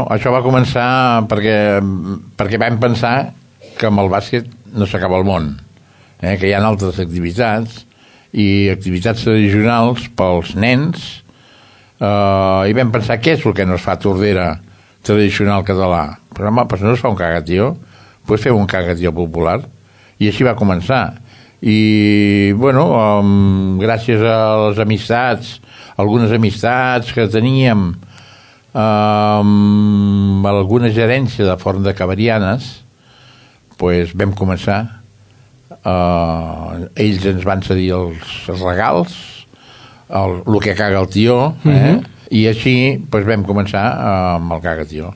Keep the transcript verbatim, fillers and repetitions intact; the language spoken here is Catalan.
Això va començar perquè, perquè vam pensar que amb el bàsquet no s'acaba el món, eh? que hi ha altres activitats i activitats tradicionals pels nens, eh, i vam pensar què és el que no es fa a Tordera tradicional català. Però home, pues no es fa un cagatió, pues fem un cagatió popular. I així va començar. I, bueno, um, gràcies a les amistats, algunes amistats que teníem, um, alguna gerència de Forn de Cabarianes, pues vam començar. Uh, ells ens van cedir els regals, el, el que caga el tió, eh? Uh-huh. I així pues, vam començar uh, amb el cagatió.